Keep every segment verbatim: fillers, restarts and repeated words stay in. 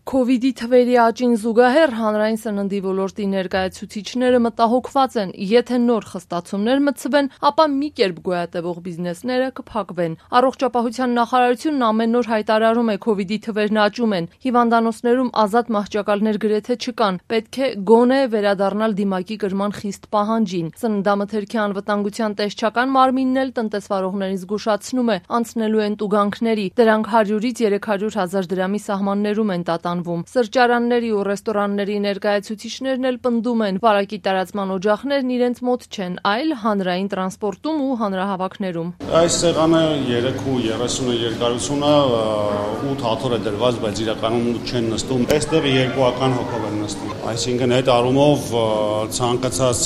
Քովիդի թվերի աճին զուգահեռ հանրային սննդի ոլորտի ներկայացուցիչները մտահոգված են, եթե նոր խստացումներ մտցվեն, ապա մի կերպ գոյատևող բիզնեսները կփակվեն։ Առողջապահության նախարարությունն ամեն օր հայտարարում է քովիդի թվերն աճում են, հիվանդանոցներում ազատ մահճակալներ գրեթե չկան, պետք է գոնե վերադառնալ դիմակի կրման խիստ պահանջին։ Սննդամթերքի անվտանգության տեսչական մարմինն էլ տնտեսվարողներին զգուշացնում է, անցնելու են տուգանքների, դրանք հարյուրից երեք հարյուր հազար դրամի սահմաններում են տատանվում։ Սրճարանների ու ռեստորանների ներկայացուցիչներն էլ պնդում են, վարակի տարածման օջախներն իրենց մոտ չեն, այլ հանրային տրանսպորտում ու հանրահավաքներում։ Այս սեղանը երեք ու երեսունը երկարությունը ութ հաթոռ է դրված, բայց իրականում չեն նստում։ Այստեղ երկուական հոգով են նստում։ Այսինքն այդ առումով ցանկացած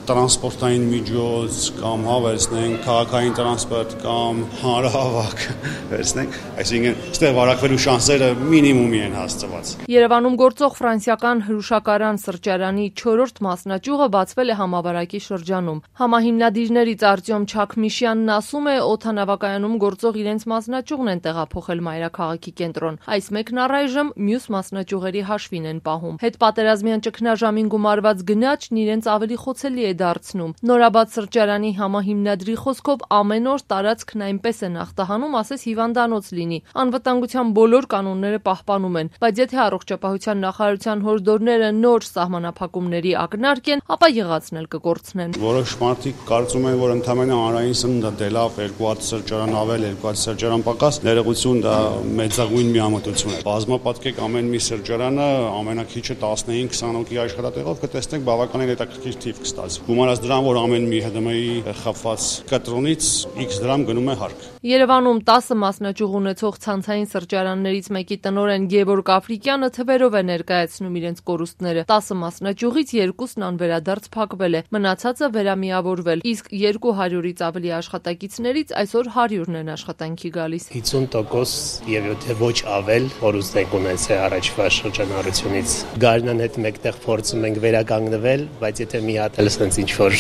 տրանսպորտային միջոց կամ հավերցնենք, քաղաքային տրանսպորտ կամ հանրահավաք վերցնենք, այսինքն այստեղ վարակվելու շանսերը մինիմումի են հասցված։ Երևանում գործող ֆրանսիական հրուշակարան սրճարանի չորրորդ մասնաճյուղը բացվել է համավարակի շրջանում։ Համահիմնադիրներից Արտյոմ Չաքմիշյանն ասում է, օդանավակայանում գործող իրենց մասնաճյուղն են տեղափոխել մայրաքաղաքի կենտրոն։ Այս մեկն առայժմ մյուս մասնաճյուղերի հաշվին են պահում։ Հետպատերազմյան ճգնաժամին գումարված գնաճն իրենց ավելի խոցելի է դարձնում։ Նորաբաց սրճարանի համահիմնադրի խոսքով ամեն օր տարածքն այնպես է ախտահանում, ասես հիվանդանոց լինի։ Անվտանգության բոլոր կանոնները պահպանում են, բայց եթե առողջապահության նախարարության հորդորները նոր սահմանափակումների ակնարկ են, ապա եղածն էլ կկորցնեն։ Որոշ մարդիկ կարծում են, որ ընդհանրապես հանրային սնունդը դե լավ, երկու հատ սրճարան ավել, երկու հատ սրճարան պակաս, ներողություն, դա մեծագույն միամտություն է։ Բազմապատկեք ամեն մի սրճարանը ամենակիչը տասնհինգ քսան հոգի աշխատատեղով կտեսնենք բավականին հետաքրքիր թիվ կստացվի։ Գումարած դրան, որ ամեն մի ՀԴՄ-ի խփված կտրոնից X դրամ գնում է հարկ։ Երևանում տասը մասնաճյուղ ունեցող ցանցային սրճարաններից մեկի տնօրեն Գևորգ Աֆրիկյանը թվերով է ներկայացնում իրենց կորուստները։ տասը մասնաճյուղից երկուսն անվերադարձ փակվել է, մնացածը վերամիավորվել, իսկ երկու հարյուրից ավելի աշխատակիցներից այսօր հարյուրն են աշխատանքի գալիս։ հինգ տոկոս եւ եթե ոչ ավել կորուստ եք ունեցել առաջվա շրջանառությունից։ Գարնան հետ մեկտեղ փորձում ենք վերականգնվել, բայց եթե մի հատ էլ sense ինչ որ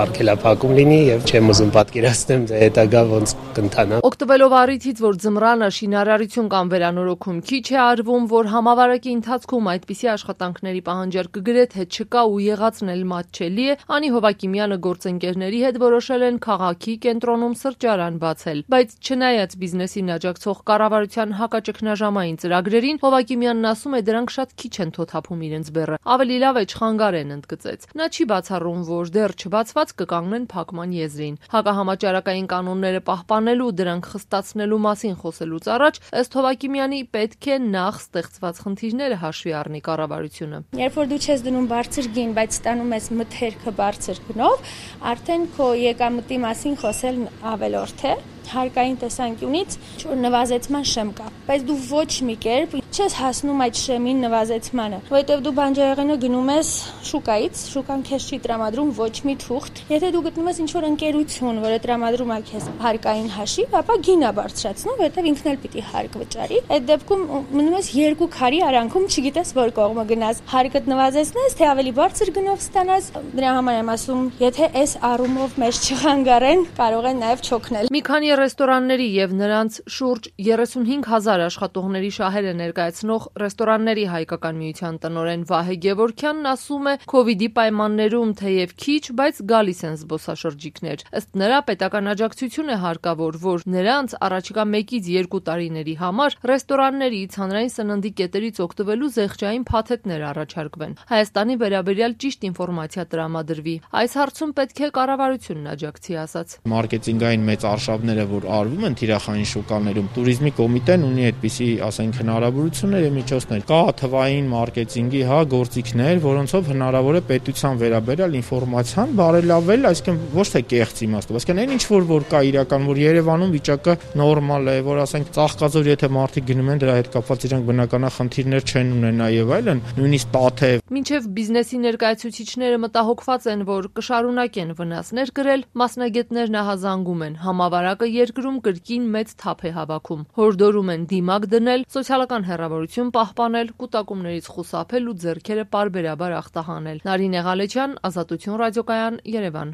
արգելափակում լինի եւ չեմ ուզում պատկերացնեմ թե հետագա ոնց կընթանա։ Օգտվելով առիթից, որ ձմռանը շինարարություն կամ վերանորոգում քիչ է արվում, որ համավարակի ընթացքում այդպիսի աշխատանքների պահանջարկը գրեթե չկա ու եղածն էլ մատչելի է, Անի Հովակիմյանը գործընկերների հետ որոշել են քաղաքի կենտրոնում սրճարան բացել։ Բայց չնայած բիզնեսին աջակցող կառավարության հակաճգնաժամային ծրագրերին, Հովակիմյանն ասում է, դրանք շատ քիչ են թոթափում իրենց բեռը։ Ավելի լավ է չխանգարեն, ընդգծեց։ Նա չի բացառում, որ դեռ չբացված կկանգնեն փակման եզրին։ Հակահամաճարակային կանոնները պահպանելու, դրանք խստացնելու մասին խոսելուց առաջ, ըստ Հովակիմյանի, պետք է նախ ստեղծված խնդիրները հաշվի առնի կառավարությունը։ Երբ որ դու չես դնում բարձր գին, բայց ստանում ես մթերքը բարձր գնով, արդեն քո եկամտի մասին խոսել ավելորդ է։ Հարկային տեսանկյունից որ նվազեցման շեմ կա, բայց դու ոչ մի կերպ չես հասնում այդ շեմին նվազեցմանը, որովհետև դու բանջարեղենը գնում ես շուկայից, շուկան քեզ չի տրամադրում ոչ մի թուղթ։ Եթե դու գտնում ես ինչ-որ ընկերություն, որը տրամադրում է քեզ հարկային հաշիվ, ապա գինը բարձրացնում, որովհետև ինքն էլ պիտի հարկ վճարի։ Այդ դեպքում մնում ես երկու քարի արանքում, չգիտես որ կողմը գնաս, հարկդ նվազեցնես, թե ավելի բարձր գնով ստանաս։ Դրա համար եմ ասում, եթե այս առումով մեզ չխանգարեն, կարող են նաև չօգնել։ Մի քանի ռեստորանների եւ նրանց շուրջ երեսունհինգ հազար աշխատողների շահերը ներկայացնող ռեստորանների հայկական միության տնօրեն Վահե Գևորգյանն ասում է, քովիդի պայմաններում թեև քիչ, բայց գալիս են զբոսաշրջիկներ։ Ըստ նրա, պետական աջակցություն է հարկավոր, որ նրանց առաջիկա մեկից երկու տարիների համար ռեստորաններից, հանրային սննդի կետերից օգտվելու զեղչային փաթեթներ առաջարկվեն։ Հայաստանի վերաբերյալ ճիշտ ինֆորմացիա տրամադրվի։ Այս հարցում պետք է կառավարությունն աջակցի, ասաց։ Մարքեթինգային մեծ արշավները որ արվում են թիրախային շուկաներում, туриզմի կոմիտեն ունի այդպիսի, ասենք, հնարավորություններ եւ միջոցներ։ Կա թվային մարքեթինգի, հա, գործիքներ, որոնցով հնարավոր է պետության վերաբերյալ ինֆորմացիան բարելավել, այսինքն ոչ թե կեղծ իմաստով, այսինքն այն ինչ որ որ կա իրական, որ Երևանում վիճակը նորմալ է, որ ասենք Ծաղկաձոր եթե մարդիկ գնում են դրա հետ կապված իրանք բնականա խնդիրներ չեն ունենա եւ այլն, նույնիսկ Տաթև։ Մինչև բիզնեսի ներկայացուցիչները մտահոգված են, որ կշարունակեն վնասներ կրել, մասնագետներն ահազանգում են, համավարակը երկրում կրկին մեծ թափ է հավաքում։ Հորդորում են դիմակ դնել, սոցիալական հեռավորություն պահպանել, կուտակումներից խուսափել ու ձեռքերը պարբերաբար ախտահանել։ Նարինե Ղալեչյան, Ազատություն ռադիոկայան, Երևան։